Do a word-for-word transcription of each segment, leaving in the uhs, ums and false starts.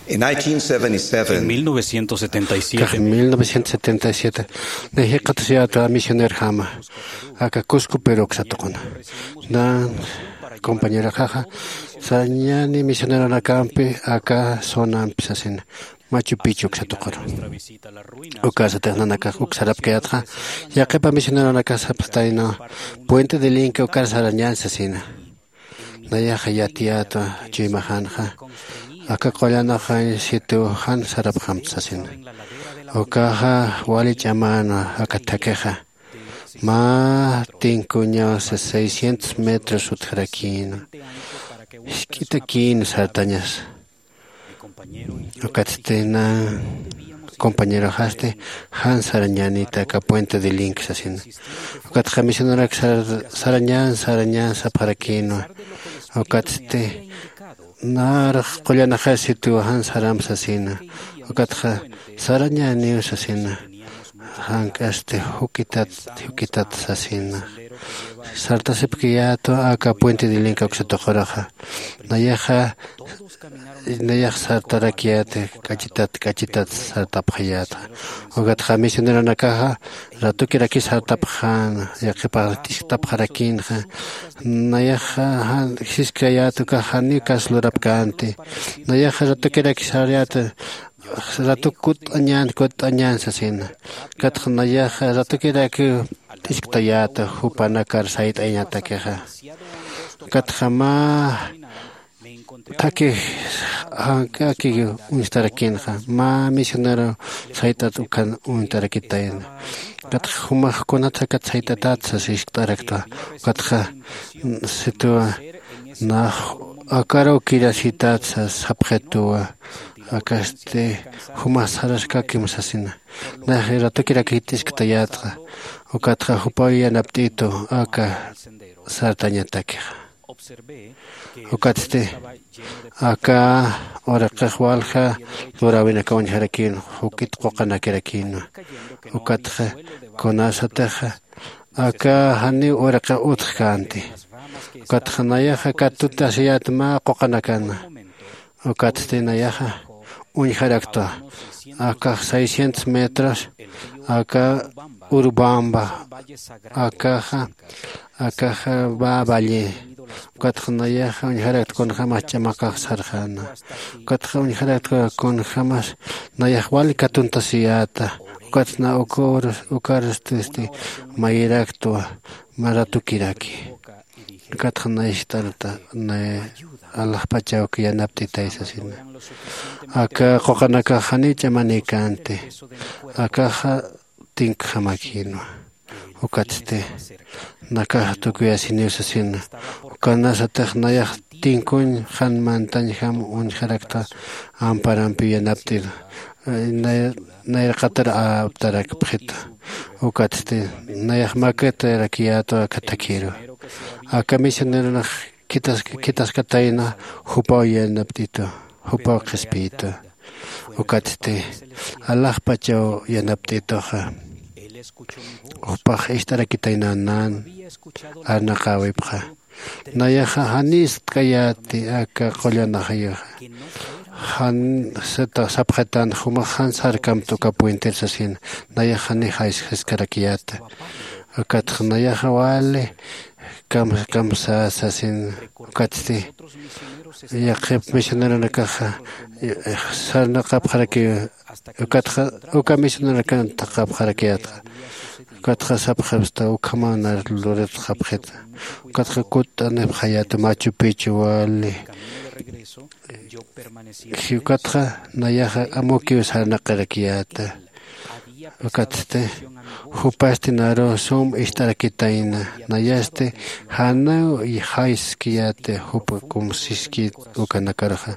En nineteen seventy-seven, en mil novecientos setenta y siete, kax mil novecientos setenta y siete, najiqatasiyätwa misionerjama aka Cusco, Perú uksatuquna. Na compañeroxaxa sarañäni misioneronakampi aka zonampi sasina, Machu Picchu uksatuquru. Ukasatix nanakax uk sarapkayätxa, yaqhipa misioneronakax sapxtayna, Puente de Linca ukar sarañän sasina. Nayaxa yatiyätwa chuymaxänxa, aka qullanaxañ sitiw jan sarapxamta sasina. Ukaxa wali ch'amänwa aka thakixa. Mä tinkuñaw seiscientos metros utjarakïnwa. Jisk'itakïnwa sartañasa. Ukatsti na compañeroxasti jan sarañänita aka Puente de Linca sasina. Ukatxa misioneronak sar-, sarañän, sarañän sapxarakïnwa. Ukatsti narux qullanaxay sitiw jan saramp sasina. Ukatxa sarañäniw sasina. Jank'asti juk'itat, juk'itat sasina. Sartasipkayätwa aka Puente de Linca uksatuquraxa. Nayaxa, nayax sartarakiyäti, k'achitat, k'achitat sartapxayätxa. Ukatxa misioneronakaxa, ratukiraki sartapxäna, yaqhipax t'iskitapxarakïnxa. Nayaxa, jan, jiskayät ukax janiw kas lurapkänti. Nayaxa ratukiraki sarayät, ratuk kutt'añän, kutt'añän sasina. Ukatxa nayaxa ratukirakiw t'isktayäta jupanakar sayt'ayañatakixa. Ukatxa mä thakhi jank'aki uñstarakïnxa, mä misionero sayt'at ukan uñtarakitayna. Ukatxa jumax kunatsa akat sayt'atat sas jiskt'araktwa. Ukatxa sitiwa nax akaruw kirasitat sas sapxituwa. Akasti jumax saraskakim sasina. Nax ratukirakï t'isktayätxa. Ukatxa jupaw yanapt'itu aka sartañatakixa. Ukatsti aka uraqix walja luräwinakaw uñjarakïn, juk'it quqanakirakïnwa. Ukatxa kunasatixa aka janiw uraqix utjkänti. Ukatxa nayaxa katutasiyät mä quqanakana. Ukatsti nayaxa uñjaraktwa. Akax seiscientos metros, aka Urubamba, akaxa, akaxa va valle. Ukatxa nayaxa uñjaraktwa kunjämas ch'amakax sarxäna. Ukatxa uñjaraktwa kunjämas nayax wali katuntasiyäta. Ukatxa na ukarus, ukarustisti mayiraktwa mä ratukiraki. Ukatxa nay jist'arta, nay alaxpachaw yanapt'itay sasina. Aka quqanakax janiw ch'amanïkänti. Akaxa tinkjamakïnwa. Ukatsti nakax tukuyasiniw sasina. Ukanasatix nayax tinkuñ jan mantañjam uñjarakta amparampiw yanapt'ir. Nay-, nayraqatar aptarakpxita. Ukatsti nayax makatarakiyätwa aka thakhiru. Aka misioneronax khitas-, khitaskatayna jupaw yanapt'itu, jupaw qhispiyitu. Ukatsti alaxpachaw yanapt'ituxa. Jupax ist'arakitayna nan arnaqäwipxa. Nayaxa janiw ist'kayäti aka qullanaxayuxa. Jan sata sapxitan jumax jan sarkamta uka puenter sasin. Nayax janiw jayskarakiyäta. Ukatxa nayaxa wali kam-, kamsä sasin. Ukatsti yaqhip misioneronakaxa, eh, sarnaqapxarakiw. Ukatxa, uka misioneronakan thaqhapxarakiyätxa. Ukatxa sapxipxta, ukhamaw nar luritxapxita. Ukatxa kutt'anipxayäta Machu Picchu wali. Ukatxa nayaxa amukiw sarnaqirakiyäta. Ukatsti jupasti naruw sum ist'arakitayna. Nayasti janiw jayskiyäti jupa kumsiskit ukanakaruxa.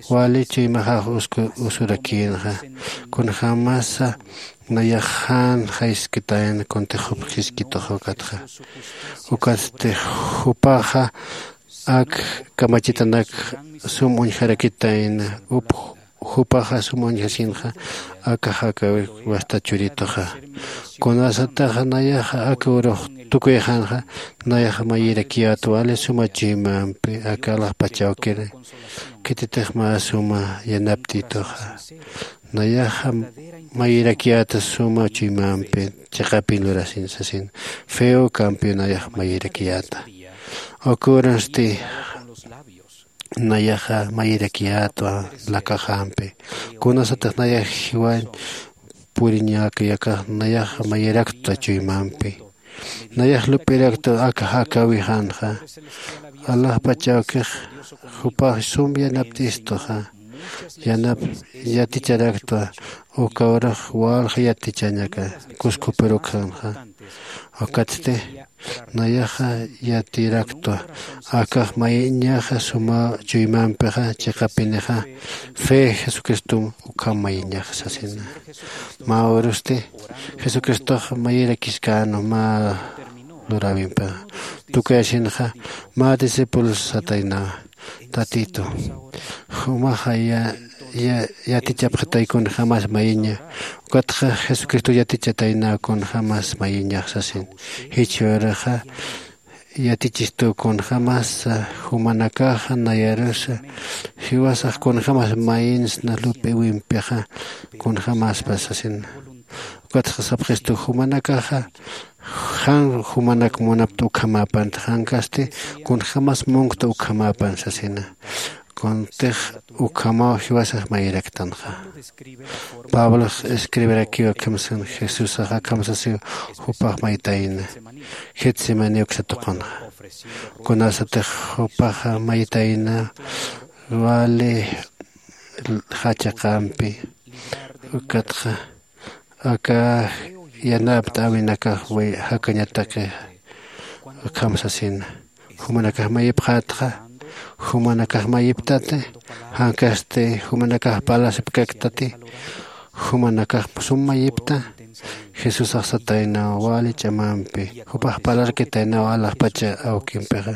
Wali chuymaxax usku-, usurakïnxa. Kunjämasa nayax jan jayskitayna kuntix jup jiskituxa ukatxa. Ukatsti jupaxa ak kamachitanak sum uñjarakitayna, up jupaxa sum uñjasinxa aka jakawik wasta churituxa. Kunasataxa nayaxa aka urux tukuyxanxa nayaxa mayirakiyäta wali suma chuymampi aka alaxpachawkiri khititix mä suma yanaptituxa. Nayaxa mayirakiyäta suma chuymampi chiqapin lurasin sasin feo kampiw nayaxa mayirakiyäta. Ukürunsti nayaxa mayirakiyätwa lakaxampi. Kunasatix nayax jiwañ puriñäkayakax nayaxa mayiraktwa chuymampi. Nayax lup'iraktwa aka jakawixanxa alaxpach awkix jupax sum yanapt'istuxa yanap yaticharaktwa. Uka urux walja yatichañaka kuskupirukxanxa. Ukatsti nayaxa yatiraktwa akax mayiñaxa suma chuymampixa chiqapinixa fe jesucristom ukham mayiñaxa sasina. Mä urusti jesucristox mayirakiskänu mä luräwimpixa tukuyasinxa mä discípulos sataynawa tatitu jumaxa yatichapxatay kunjämas mayiña. Ukatxa jesucristo yatichataynä kunjämas mayiñax sasin. Jichhüruxa yatichistu kunjämas jumanakaxa nayarusa jiwasax kunjämas mayinsna lup'iwimpixa kunjämaspa sasina. Ukatxa sapxistu jumanakaxa jan jumanak munapta ukhamäpanta jankasti kunjämas munkta ukhamäpan sasina. Kuntix ukhamaw jiwasax mayiraktanxa. Pablox escribirakiw akham san jesusax akham sasiw jupax maytayna getsemani uksa tuqunxa. Kunasatix jupaxa maytayna wali jachaqampi ukatxa aka yanapt'äwinakax jakañataki akham sasina. Jumanakax mayipxätxa jumanakax mayiptati jankasti jumanakax parlasipkaktati jumanakax sum mayipta. Jesusax sataynaw wali ch'amampi jupax parlarkitaynaw alaxpacha awkimpixa.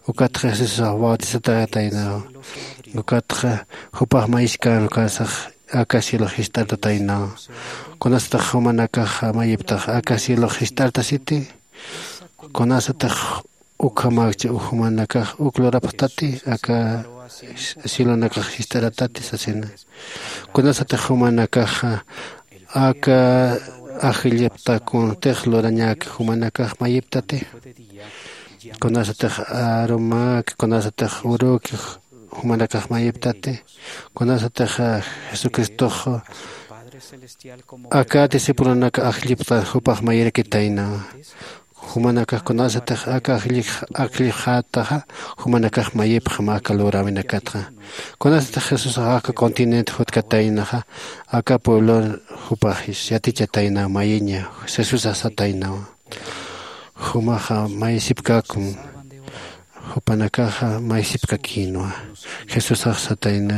Ukatxa jesusax bautizatätaynaw ukatxa jupax mayiskän ukasax aka cielox jist'artataynaw. Kunasatix jumanakax mayiptax aka cielox jist'artasiti kunasatix ukhamäkchi jumanakax uk lurapxtati aka cielonakax jist'aratati sasina. Kunasatix jumanakaxa aka ajillipta kuntix lurañäki jumanakax mayiptati kunasatix arumäki kunasatix uruki jumanakax mayiptati kunasatix jesucristox aka discipulonaka ajllipxta jupax mayirakitaynawa. Jumanakax kunasatix aka ajllipxätaxa jumanakax mayipxam aka luräwinakatxa. Kunasatix jesusax aka continente jutkataynaxa aka pueblon jupax yatichataynaw mayiña jesusax sataynawa. Jumaxa mayisipkäkum jupanakaxa mayisipkakïnwa. Jesusax satayna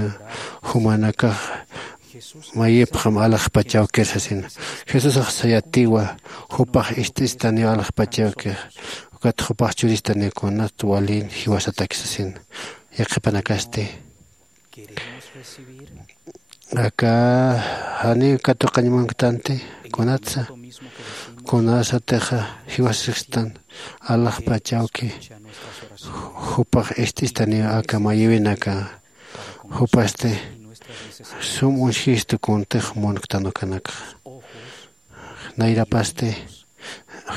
jumanakax mayipxam alaxpach awkir sasina. Jesusax sayatiwa jupax ist'istaniw alaxpach awkir ukat jupax churistaniw kunat walin jiwasataki sasina. Yaqhipanakasti aka janiw katuqañ munktanti kunatsa kunasatixa jiwasikstan alaxpach awki jupax ist'istaniw aka mayiwinaka jupasti sum uñjistu kuntix munktan ukanakxa. Nayrapasti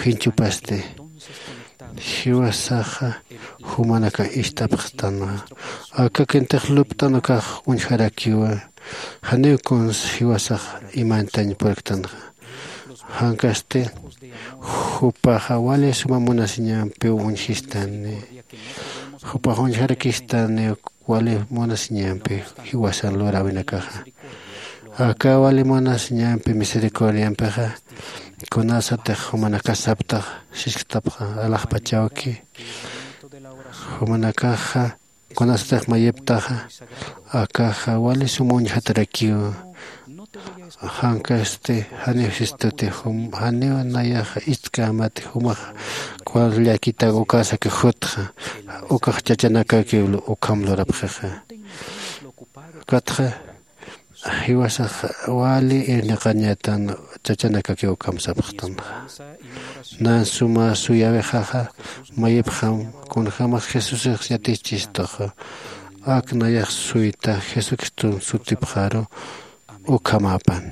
jinchupasti jiwasaxa jumanakax ist'apxtanxa. Aka kintix lupt'an ukax uñjarakiwa janiw kuns jiwasax imantañ purktanxa. Jankasti jupaxa wali suma munasiñampiw uñjistani jupax uñjarakistani wali munasiñampi jiwasan luräwinakaxa. Aka wali munasiñampi misericordiampixa kunasatix jumanakax saptax sisktapxa alaxpach awki jumanakaxa kunasatix mayiptaxa akaxa wali sum uñjatarakiw. Jankasti janiw sistuti janiw nayaxa ist'kämati jumax kullakitak ukasaki jutxa ukax chachanakakiw ukham lurapxixa. Ukatxa jiwasax wali irniqañatan chachanakakiw ukham sapxtanxa. Nan suma suyawixaxa mayipxam kunjämas jesusix yatichistuxa. Ak nayax suyta jesucriston sutipxaru ukhamapan.